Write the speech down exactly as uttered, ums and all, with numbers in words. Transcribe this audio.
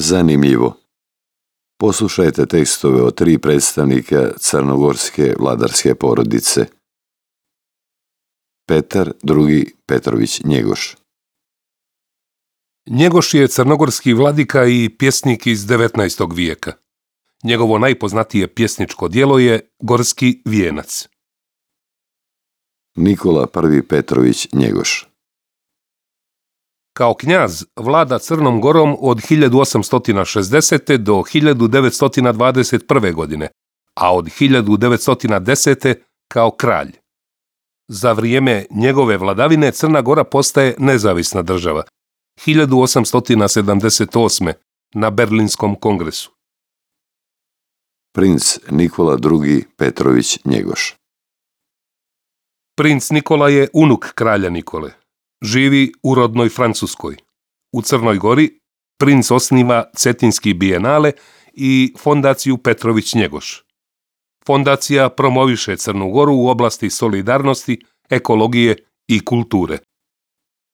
Zanimljivo. Poslušajte tekstove od tri predstavnika crnogorske vladarske porodice. Petar drugi Petrović Njegoš. Njegoš je crnogorski vladika i pjesnik iz devetnaestog vijeka. Njegovo najpoznatije pjesničko djelo je Gorski vijenac. Nikola prvi Petrović Njegoš. Kao knjaz vlada Crnom Gorom od hiljadu osamsto šezdesete. do hiljadu devetsto dvadeset prve. godine, a od hiljadu devetsto desete. kao kralj. Za vrijeme njegove vladavine Crna Gora postaje nezavisna država, hiljadu osamsto sedamdeset osme. na Berlinskom kongresu. Princ Nikola drugi Petrović Njegoš. Princ Nikola je unuk kralja Nikole. Živi u rodnoj Francuskoj. U Crnoj Gori princ osniva Cetinski bijenale i fondaciju Petrović Njegoš. Fondacija promoviše Crnu Goru u oblasti solidarnosti, ekologije i kulture.